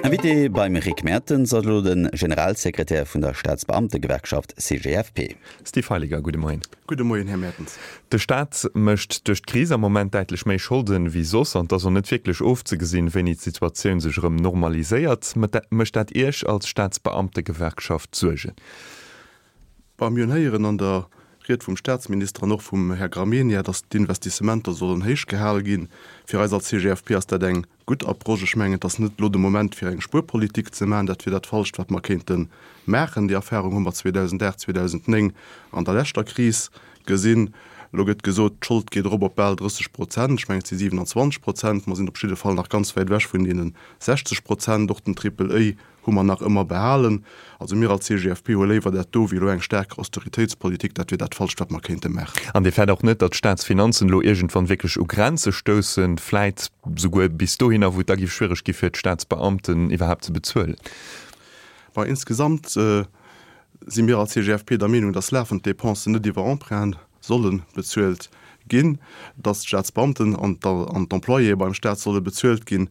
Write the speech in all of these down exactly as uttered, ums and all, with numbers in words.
Invité beim Rick Mertens ass elo de Generalsekretär vun der Staatsbeamtegewerkschaft C G F P. Steve Heiliger, gudde Moien. Gudde Moien, Här Mertens. De Staat mécht duerch d'Kris am Moment däitlech méi Scholden wéi soss an et ass och net wierklech ofzegesinn, wéini d'Situatioun sech erëm normaliséiert. Mécht dat Iech als Staatsbeamtegewerkschaft Suergen? Bah, mir hunn héieren an der Ried vum Staatsminister an och vum Här Gramegna, datt d'Investissementer sollen héich gehale ginn. Fir eis als C G F P ass dat eng gutt Approche. Ech mengen, et ass net elo de Moment, fir eng Spuerpolitik ze maachen. Dat wier dat Falscht, wat mer kéinte maachen. Déi Erfahrung hu mer zweedausendaacht, zweedausendnéng an der leschter Kris gesinn. Elo gëtt gesot, d'Schold geet erop op bal drësseg Prozent. Ech mengen, et si siwenanzwanzeg Prozent. Mer sinn op jidde Fall nach ganz wäit ewech vun deene sechzeg Prozent. Och den Triple-A hu mer nach ëmmer behalen. Also mir als C G F P hu léiwer dat do wéi elo eng staark Austeritéitspolitik. Dat wier dat Falscht, wat mer kéinte maachen. An Dir fäert och net, datt d'Staatsfinanzen elo iergendwann wierklech u Grenze stoussen, vläit souguer bis dohinner, wou et da géif schwiereg gi fir d'Staatsbeamten iwwerhaapt ze bezuelen? Bah, insgesamt si mir als C G F P der Meenung, datt lafend Dépensen net iwwer Emprunten solle bezuelt ginn, datt d'Staatsbeamten an d'Employéë beim Staat solle bezuelt ginn.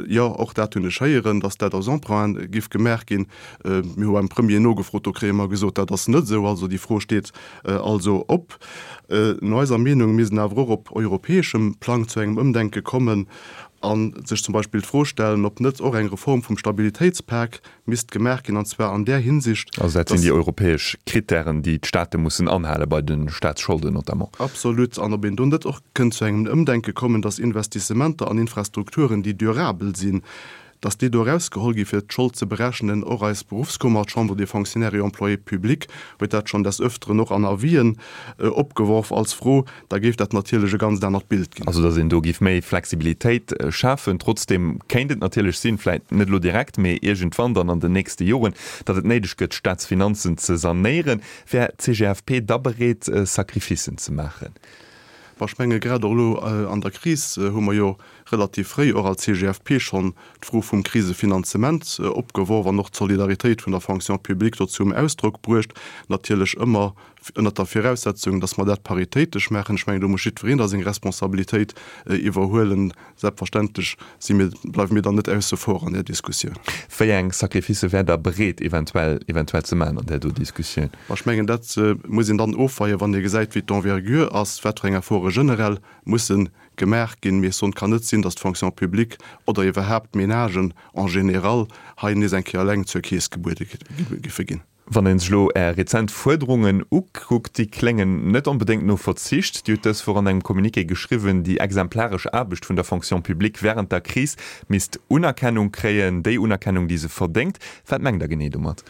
Jo, och dat hunn ech héieren, datt dat aus Emprunten giff gemaach ginn. Mir hu beim Premier nogefrot, do kréie mer gesot, dat ass net esou. Also déi Fro steet also op. No eiser Meenung misst een awer och op europäeschem Plang zu engem Ëmdenke kommen a sech zum Beispill d'Fro stellen, ob net och eng Reform vum Stabilitéitspak misst gemaach ginn, an zwar an där Hinsicht, Also dat sinn déi europäesch Krittären, déi d'Staate mussen anhale bei de Staatsscholden notamment. Absolut. An ob een do net och kënnt zu engem Ëmdenke kommen, dass Investissementer an Infrastrukturen, déi durabel sinn, dass déi do erausgeholl gi fir d'Schold ze berechnen. Och eis Beruffskummer, d'Chambre des Fonctionnaires et Employés publics, huet dat schonn des Öfteren och an Avisen opgeworf als Fro. Da géif dat natierlech e ganzt anert Bild ginn. Also dass een do géif méi Flexibilitéit schafen. Trotzdeem kéint et natierlech sinn, vläicht net elo direkt, mee iergendwann dann an den nächste Joren, datt et néideg gëtt, d'Staatsfinanzen ze sanéieren. Wär d'C G F P da bereet, Sacrificen ze maachen? Bon, ech menge grad och elo an der Kris hu mer jo relativ fréi och als C G F P schonn d'Fro vum Krisefinanzement opgeworf an och d'Solidaritéit vun der Fonction publique do zum Ausdrock bruecht, natierlech ëmmer ënnert der Viraussetzung, dass mer dat paritéitesch maachen. Ech mengen, do muss jiddwereen da seng Responsabilitéit iwwerhuelen. Selbstverständlech si mir, bleiwe mir dann net ausse vor an där Diskussioun. Wéi eng Sacrificë wäert Der bereet eventuell eventuell ze maachen an där do Diskussioun? Ech mengen, dat muss een dann ofweien, wann ee gesäit, wéi d'Envergure ass, wat fir eng Efforte generell musse gemaach ginn. Mee et kann net sinn, datt d'Fonction publique oder iwwerhaapt d'Ménagen en général hei nees eng Kéier eleng zur Keess gebuede giffe ginn. Wann een sech elo Är rezent Fuerderungen ukuckt, déi kléngen net onbedéngt no Verzicht. Dir hutt dës Woch an engem Communiqué geschriwwen, déi exemplaresch Aarbecht vun der Fonction publique wärend der Kris misst Unerkennung kréien, déi Unerkennung, déi se verdéngt. Wat mengt Der genee domat?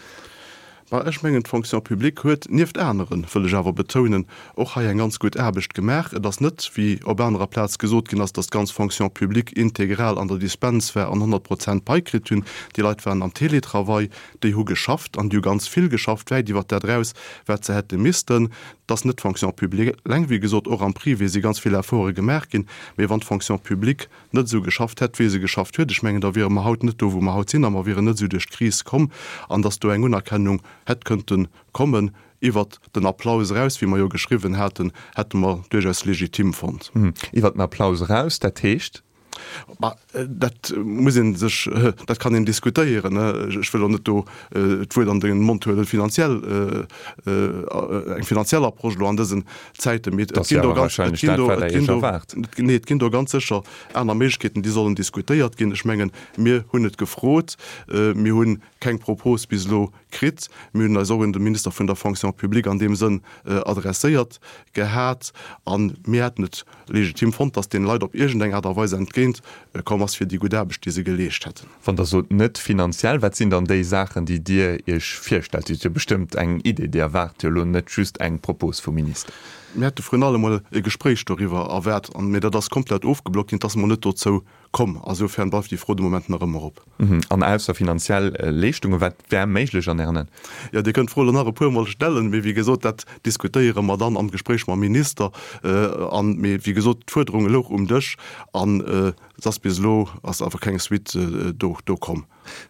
Bah, ech mengen, d'Fonction publique huet nieft aneren, wëll ech awer betounen, och hei eng ganz gutt Aarbecht gemaach. Et ass net, wéi op anerer Plaz gesot ginn ass, dass d'ganz Fonction publique integral an der Dispens war an honnert Prozent Pai kritt hunn. Déi Leit waren am Télétravail, déi hu geschafft an déi hu ganz vill geschafft, wäit iwwert dat eraus, wat se hätte missten. Et ass net d'Fonction publique eleng, wéi gesot, och am Privé si ganz vill Efforte gemaach ginn. Mee wann d'Fonction publique net esou geschafft hätt, wéi se geschafft huet, ech mengen, da wiere mer haut net do, wou mer haut sinn a mer wieren net esou duerch d'Kris komm. An dass do eng Unerkennung hätt kënnte kommen iwwert den Applaus eraus, wéi mer jo geschriwwen haten, hätte mer duerchaus legitim fonnt. Iwwert den Applaus eraus, dat heescht? Bah, dat muss ee sech, dat kann een diskutéieren. Ech wëll och net do d'Wuert an de Mond huelen, finanziell, eng finanziell Approche elo an dësen Zäiten. Mee et ginn do ganz, et ginn do, et ginn do, nee, et ginn do ganz sécher aner Méiglechkeeten, déi sollen diskutéiert ginn. Ech mengen, mir hunn et gefrot, mir hu keng Propos bis elo kritt. Mir hunn eis och un de Minister vun der Fonction publique an deem Sënn adresséiert gehat a mir hätten et legitim fonnt, datt deene Leit op iergendeng Aart a Weis entgéint komm ass fir déi gutt Aarbecht, déi se geleescht hätten. Wann Der sot net finanziell, wat sinn dann déi Saachen, déi Dir Iech virstellt? Dir hutt jo bestëmmt eng Idee. Dir erwaart jo elo net just eng Propos vum Minister. Mir hätte vrun allem emol e Gespréich doriwwer erwaart, mee dat ass komplett ofgeblockt ginn. Et ass emol net dozou komm. Asoufern bleift déi Fro de Moment nach ëmmer op. An ausser finanziell Leeschtungen, wat wär méiglech an Ären Aen? Jo, Dir kënnt d'Fro elo nach e puermol stellen, mee wéi gesot, dat diskutéiere mer dann am Gespréich mam Minister. An, mee wéi gesot, d'Fuerderung louch um Dësch an Et ass bis elo ass awer keng Suite do do komm.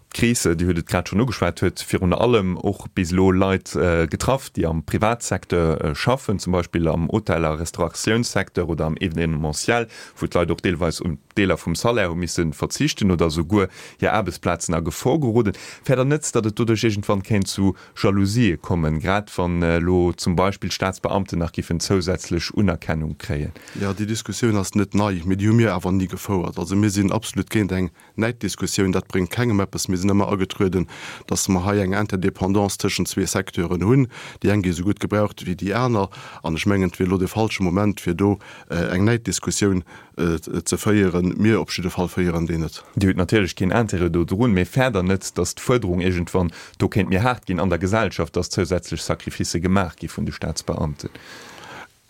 D'Kris, Dir hutt et grad schonn ugeschwat, huet virun allem och bis elo Leit getraff, déi am Privatsecteur schaffen, zum Beispill am Hotel a Restauratiounssecteur oder am Evenementiel, wou d'Leit och deelweis un Deeler vum Salaire hu misse verzichten oder souguer hir Aarbechtsplazen a Gefor geroden. Fäert Der net, datt et doduerch iergendwann kéint zu Jalousië kommen, grad wann elo zum Beispill d'Staatsbeamten nach giffen zousätzlech Unerkennung kréien? Jo, déi Diskussioun ass net nei, mee déi hu mir awer ni gefouert. Also mir sinn absolut géint eng Näiddiskussioun, dat bréngt kengem eppes. Mir sinn ëmmer agetrueden, datt mer hei eng Interdépendance tëschent zwee Secteuren hunn. Déi eng gi esou gutt gebraucht wéi déi aner. An ech mengen, et wier elo de falsche Moment, fir do eng Näiddiskussioun ze féieren. Mir op jidde Fall féieren déi net. Dir hutt natierlech keen Intérêt do drun, mee fäert Der net, datt d'Fuerderung iergendwann do kéint méi haart ginn an der Gesellschaft, datt zousätzlech Sacrificë gemaach gi vun de Staatsbeamten?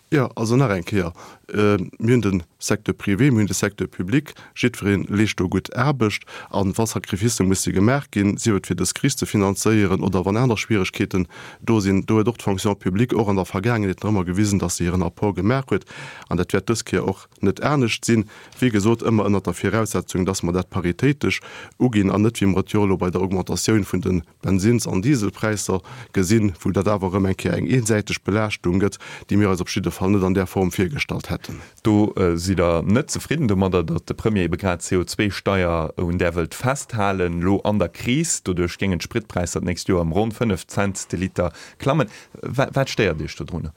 Jo, also nach eng Kéier, Mir hunn de Secteur privé, mir hunn de Secteur public, jiddweree leescht do gutt Aarbecht. A wa Sacrificë musse gemaach ginn, sief et fir dës Kris ze finanzéieren oder wann aner Schwieregkeeten do sinn, do huet och d'Fonction publique och an der Vergaangenheet nach ëmmer gewisen, dass se hiren Apport gemaach huet. An dat wäert dës Kéier och net anescht sinn. Wéi gesot, ëmmer ënnert der Viraussetzung, dass mer dat paritéitesch uginn an net, wéi mer et jo elo bei der Augmentatioun vun de Bensins an Dieselpräisser gesinn, wou dat awer erëm eng Kéier eng eensäiteg Belaaschtung gëtt, déi mir eis op jidde Fall net an där Form virgestallt hätten. Do sidd Der net zefridden domadder, datt de Premier ebe grad d'C O zwei Steier un där wëllt festhalen, elo an der Kris. Doduerch géingen d'Spritpräisser d'nächst Joer ëm ronn fënnef Cent de Liter klammen. Wat stéiert Iech dodrunner?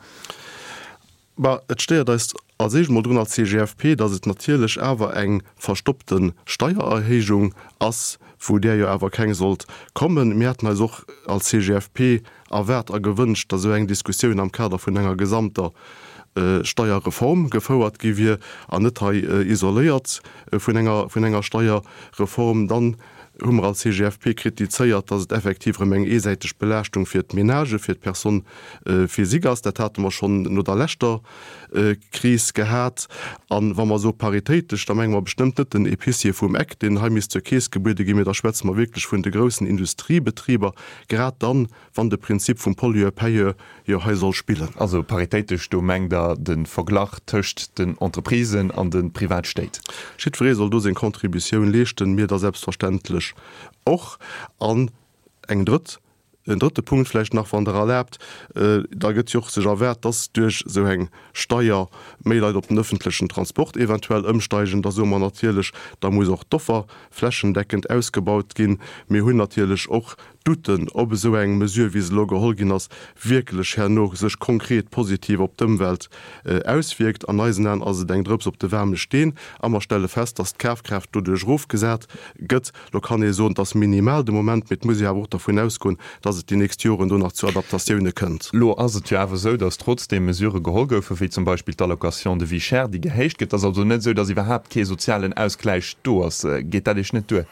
Bah, et stéiert eis als éischt emol drun als C G F P, datt et natierlech awer eng verstoppte Steiererhéijung ass, wou där jo awer keng sollt kommen. Mir hätten eis och als C G F P erwaart a gewënscht, datt esou eng Diskussioun am Kader vun enger gesamter Steierreform gefouert gi wier an net hei isoléiert vun enger, vun enger Steierreform. Dann hu mer als C G F P kritizéiert, dass et effektiv erëm eng eesäiteg Belaaschtung fir d'Ménagë, fir d'Personnes physiques ass. Dat hate mer schonn no der leschter Kris gehat. A wa mer soe paritéitesch, da menge mer bestëmmt net den Épicier vum Eck, deen hei misst zur Keess gebuede ginn, mee da schwätze mer wierklech vun de groussen Industriebetriber, grad dann, wann de Prinzip vum Pollueur-payeur jo hei soll spillen. Also paritéitesch, do mengt Der de Verglach tëscht den Entreprisen an de Privatstéit? Jiddweree soll do seng Contributioun leeschten, mir da selbstverständlech och. An eng drëtt, en drëtte Punkt vläicht nach, wann Der erlaabt, Da gëtt jo och sech erwaart, dass duerch esou eng Steier méi Leit op den öffentlechen Transport eventuell ëmsteigen. Da soe mer natierlech, da muss och d'Offer flächendeckend ausgebaut ginn. Mir hunn natierlech och Douten, ob esou eng Mesure, wéi se elo geholl ginn ass, wierklech herno sech konkret positiv op d'Ëmwelt auswierkt. An eisen Aen ass et eng Drëps op de waarme Steen a mer stelle fest, dass d'Kafkraaft doduerch erofgesat gëtt. Lo kann ee soen, et ass minimal de Moment, mee et muss ee awer och dervun ausgoen, dass et déi nächst Joren do nach zu Adaptatioune kënnt. Elo ass et jo awer esou, dass trotzdeem Mesurë geholl goufen, wéi zum Beispill d'Allocation de vie chère, déi gehéicht gëtt. Et ass also net esou, dass iwwerhaapt kee sozialen Ausgläich do ass. Geet dat Iech net duer?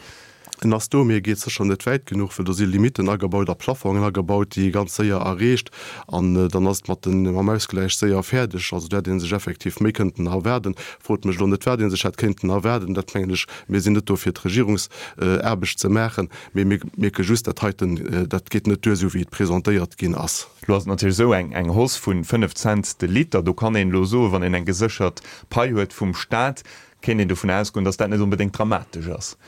En ass do, mee e geet sécher net wäit genuch, well do si Limitten agebaut a Plafongen agebaut, déi ee ganz séier erreecht. An dann ass et mat den, mam Ausgläich séier fäerdeg. Also do hätt ee sech effektiv méi kënnten erwaarden. Frot mech elo net, wat ee sech hätt kéinten erwaarden. Dat mengen ech, mir sinn net do fir d'Regierungsaarbecht ze maachen, mee mir mierke just, dat heiten, dat geet net duer, esou wéi et presentéiert ginn ass. Elo ass et natierlech esou, eng, eng Hausse vu fënnef Cent de Liter, do kann een elo soen, wann een eng geséchert Pai huet vum Stat, kéint een dovun ausgoen, datt dat net onbedéngt dramatesch ass.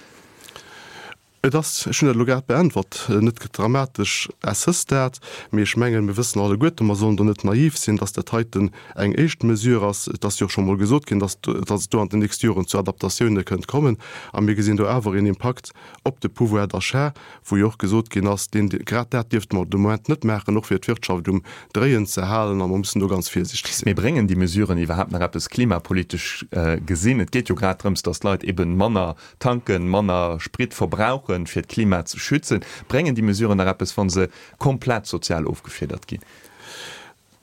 Et ass, ech hunn dat elo grad beäntwert, net dramatesch à ce stade, mee ech mengen, mir wëssen alleguerten, mer sollen do net naiv sinn, dass dat heiten eng éischt Mesure ass. Et ass jo och scho mol gesot ginn, dass dass et do an den nächste Joren zu Adaptatioune kënnt kommen. A mir gesinn do awer een Impakt op de Pouvoir d'achat, wou jo och gesot ginn ass, deen, grad dat dierfte mer de Moment net maachen, och fir d'Wirtschaft um Dréien ze halen, a mer mussen do ganz virsiichteg sinn. Mee bréngen déi Mesuren iwwerhaapt nach eppes klimapolitesch gesinn? Et geet jo grad drëms, dass d'Leit eben manner tanken, manner Sprit verbrauchen, fir d'Klima ze schützen. Bréngen déi Mesuren nach eppes, wa se komplett sozial ofgefiedert ginn?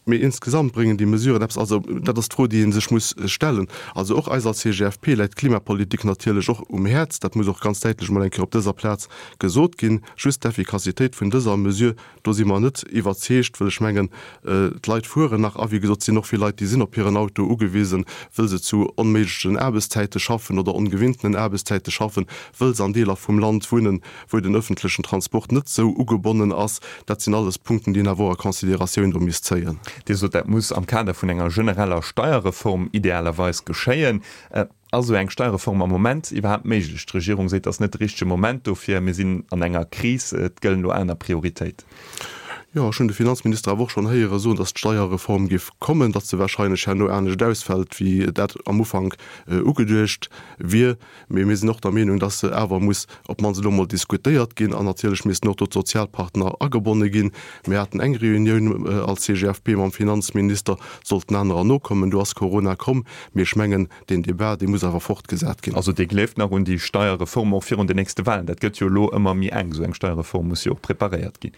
Mee insgesamt bréngen déi Mesuren eppes? Also dat ass d'Fro, déi ee sech muss stellen. Also och eis als C G F P läit d'Klimapolitik natierlech och um Häerz. Dat muss och ganz däitlech emol eng Kéier op dëser Plaz gesot ginn. Just d'Effikassitéit vun dëser Mesure, do si mer net iwwerzeegt, wëll ech mengen, d'Leit fueren nach a wéi gesot, et sinn och vill Leit, déi sinn op hiren Auto ugewisen, wëll se zu onméiglechen Aarbechtszäite schaffen oder ongewinntenen Aarbechtszäite schaffen, wëll se an Deeler vum Land wunnen, wou den öffentlechen Transport net esou ugebonnen ass. Dat sinn alles Punkten, déi een awer och a Consideratioun do misst zéien. Dir sot, dat muss am Kader vun enger genereller Steierreform idealerweis geschéien. Ass esou eng Steierreform am Moment iwwerhaapt méiglech? D'Regierung seet, et ass net de richtege Moment dofir, mir sinn an enger Kris, et gëllen elo aner Prioritéiten. Jo, ech hunn de Finanzminister awer och schonn héiere soen, datt d'Steierreform géif kommen, datt se wahrscheinlech herno anescht ausfält, wéi dat am Ufank ugeduecht wier. Mee mir sinn och der Meenung, datt se awer muss op d'mannst elo emol diskutéiert ginn. An natierlech missten och do d'Sozialpartner agebonne ginn. Mir haten eng Reunioun als C G F P mam Finanzminister, et sollten anerer nokommen, do ass Corona komm. Mee ech mengen, deen Debat, dee muss awer fortgesat ginn. Also Dir gleeft nach un déi Steierreform och virun den nächste Wahlen? Dat gëtt jo elo ëmmer méi enk. Esou eng Steierreform muss jo och preparéiert ginn.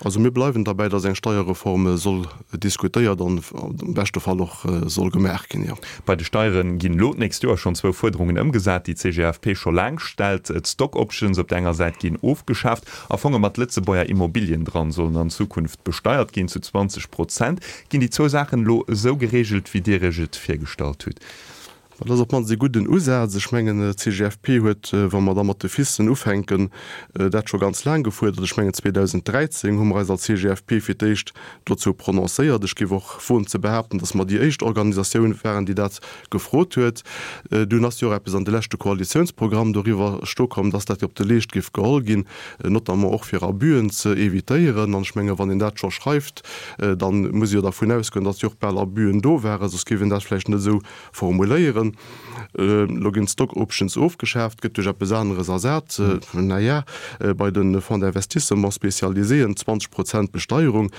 Also mir bleiwen derbäi, dass eng Steierreform soll diskutéiert an am beschte Fall och soll gemaach ginn, jo. Bei de Steiere ginn elo d'nächst Joer schonn zwou Fuerderungen ëmgesat, déi d'C G F P scho laang stellt. D'Stock Options op der enger Säit ginn ofgeschaaft a Fonge mat Lëtzebuerger Immobilien dran sollen an Zukunft besteiert ginn zu zwanzeg Prozent. Ginn déi zwou Saachen elo esou gereegelt, wéi Dir Iech et virgestallt hutt? Dat ass op d'mannst ee gudden Usaz. Ech mengen, d'C G F P huet, wa mer da mat de Fissen ufänken, dat scho ganz laang gefuerdert. Ech mengen, zweedausendräizéng hu mer eis als C G F P fir d'éischt dozou prononcéiert. Ech géif och woen ze behaapten, datt mer déi éischt Organisatioun waren, déi dat gefrot huet. Dunn ass jo och eppes an de leschte Koalitiounsprogramm doriwwer stoe komm, datt dat op de Leescht géif geholl ginn, notamment och fir Abüen ze évitéieren. An ech mengen, wann een dat scho schreift, da muss ee jo dervun ausgoen, datt jo och bal Abüen do waren, soss géif een dat vläicht net esou formuléieren. Elo ginn d'Stock Options ofgeschaaft, gëtt duerch eppes aneres ersat. Na ja, bei de Fonds d'investissement spécialiséen zwanzeg Prozent Besteierung.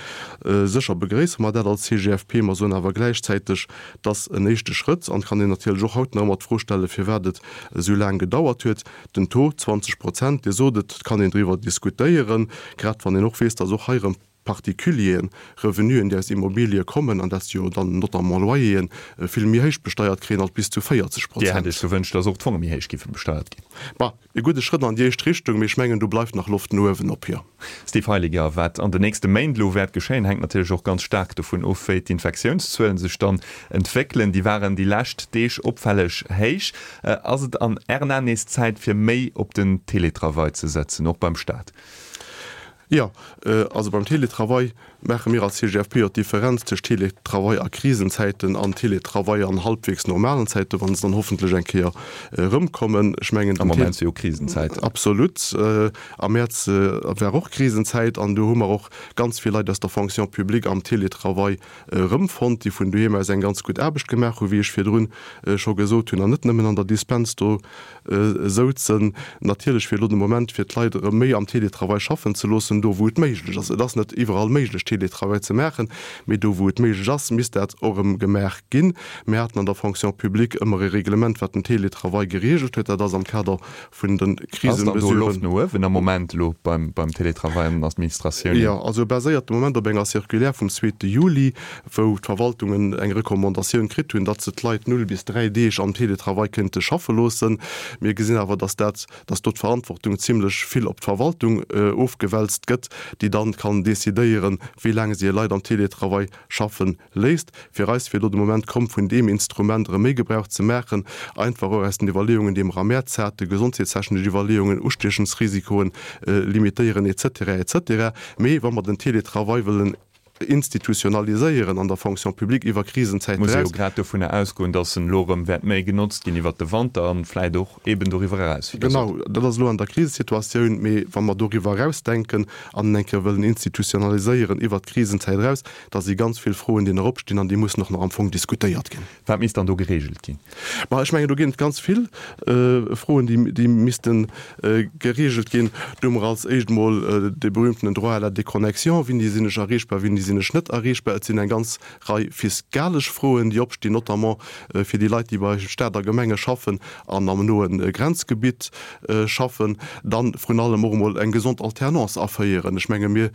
Sécher begréisse mer dat als C G F P, mer soen awer gläichzäiteg, dass en éischte Schrëtt, an et kann een natierlech och haut nach ëmmer d'Fro stellen, firwat et esou laang gedauert huet, den Taux zwanzeg Prozent, Dir sot et, et kann een driwwer diskutéieren, grad wann een och weess, dass och hei erëm Particulieren Revenuen, déi aus Immobilië kommen, an dat si jo dann notamment Loyeren, vill méi héich besteiert kréien als bis zu véierzeg Dir hätt Prozent. Iech gewënscht, dass och d'Fonge méi héich géife besteiert ginn? Bah, e gudde Schrëtt an déi éischt Richtung, mee ech mengen, do bleift nach Loft no uewen op, jo. Steve Heiliger, Wat an den nächste Méint elo wäert geschéien, hänkt natierlech och ganz staark dovun of, wéi d'Infektiounszuelen sech dann entwéckelen. Déi waren déi lescht Deeg opfälleg héich. Ass et an Ären Aen nees Zäit, fir méi op den Teletravail ze setzen, och beim Staat? Jo, also beim Teletravail maache mir als C G F P jo d'Differenz tëscht Teletravail a Krisenzäiten an Teletravail an halbwegs normalen Zäiten, wa se dann hoffentlech eng Kéier erëmkommen. Ech mengen, Am Moment si jo Krisenzäiten. Absolut. Am Mäerz war och Krisenzäit an do hu mer och ganz vill Leit aus der Fonction publique am Teletravail erëmfonnt, déi vun doheem aus eng ganz gutt Aarbecht gemaach hu, wéi ech virdrun scho gesot hunn, an net nëmmen an der Dispens do souzen. Natierlech wier elo de Moment, fir d'Leit erëm méi am Teletravail schaffen ze loossen, do wou et méiglech ass. Et ass net iwwerall méiglech, Teletravail ze maachen, mee do wou et méiglech ass, misst dat och erëm gemaach ginn. Mir haten an der Fonction publique ëmmer e Reglement, wat den Teletravail gereegelt huet. Dat ass am Kader vun de Ass dann do Loft Krisemesüren. no uewen am Moment elo beim Teletravail an den Administratiounen? Jo, also baséiert de Moment op enger Circulaire vum zweete Juli, wou d'Verwaltungen eng Recommandatioun kritt hunn, datt se d'Leit null bis dräi Deeg am Teletravail kéinte schaffe loossen. Mir gesinn awer, datt dat, datt do d'Verantwortung zimlech vill op d'Verwaltung ofgewälzt gëtt, déi dann kann decidéieren, wéi laang si hir Leit am Teletravail schaffe léisst. Fir eis wier elo de Moment komm, vun deem Instrument erëm méi Gebrauch ze maachen, einfach och aus den Iwwerleeungen, déi mer am Mäerz haten, gesondheetstechnesch Iwwerleeungen, Ustiechensrisikoen limitéieren, et cetera, et cetera. Mee wa mer den Teletravail wëllen institutionaliséieren an der Fonction publique iwwer Krisenzäit Muss ee jo eraus, grad dovunner ausgoen, datt en elo erëm wäert méi genotzt ginn iwwert de Wanter an vläit och eeben doriwwer eraus, wéi Der sot. Genau, dat ass elo an der Krisesituatioun. Mee wa mer doriwwer erausdenken an en eng Kéier wëllen institutionaliséieren iwwert d'Krisenzäit eraus, da si ganz vill Froen, déi nach opstinn an déi mussen och nach am Fong diskutéiert ginn. Wat misst dann do geregelt ginn? Ma ech mengen, do ginn et ganz vill Froen, déi misste geregelt ginn. Do hu mer als éischt emol dee berühmtenen Droit à la déconnexion, Wéini sinn ech erreechbar, wéini sinn ech net erreechbar? Et sinn eng ganz Rei fiskalesch Froen, déi opstinn, notamment fir déi Leit, déi bei Staat a Gemenge schaffen an am noe Grenzgebitt schaffen. Dann vrun allem och emol eng gesond Alternance aféieren. Ech menge mir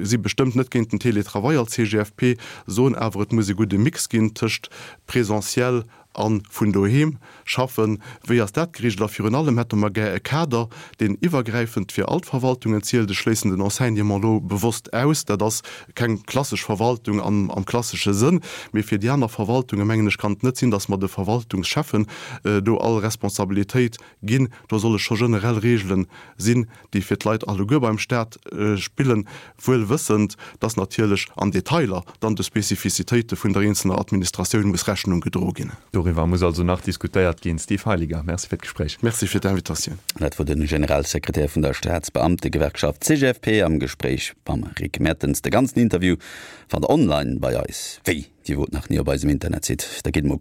si bestëmmt net géint den Télétravail als C G F P, soen awer, et muss e gudde Mix ginn tëscht Présentiel a vun doheem schaffen. Wéi ass dat geregelt? A virun allem hätte mer gär e Kader, deen iwwergräifend fir all d'Verwaltungen zielt. Ech schléissen den Enseignement elo bewosst aus, dat ass keng klassesch Verwaltung am klassesche Sënn, mee fir déi aner Verwaltungen, mengen ech, kann et net sinn, datt mer de Verwaltungscheffen do all Responsabilitéit ginn. Do solle scho generell Reegelen sinn, déi fir d'Leit alleguer beim Staat spillen, wuel wëssend, dass natierlech an Detailer dann de Spezifizitéite vun der eenzelner Administratioun muss Rechnung gedroe ginn. Doriwwer muss also nach diskutéiert ginn. Steve Heiliger, Merci fir d'Gespréich. Merci fir d'Invitatioun. Dat wor de Generalsekretär vun der Staatsbeamtegewerkschaft C G F P am Gespréich mam Rick Mertens. De ganzen Interview fannt der online bei eis. Wéi, Dir wort nach ni op eisem Internetsite? Da gitt mol kucken.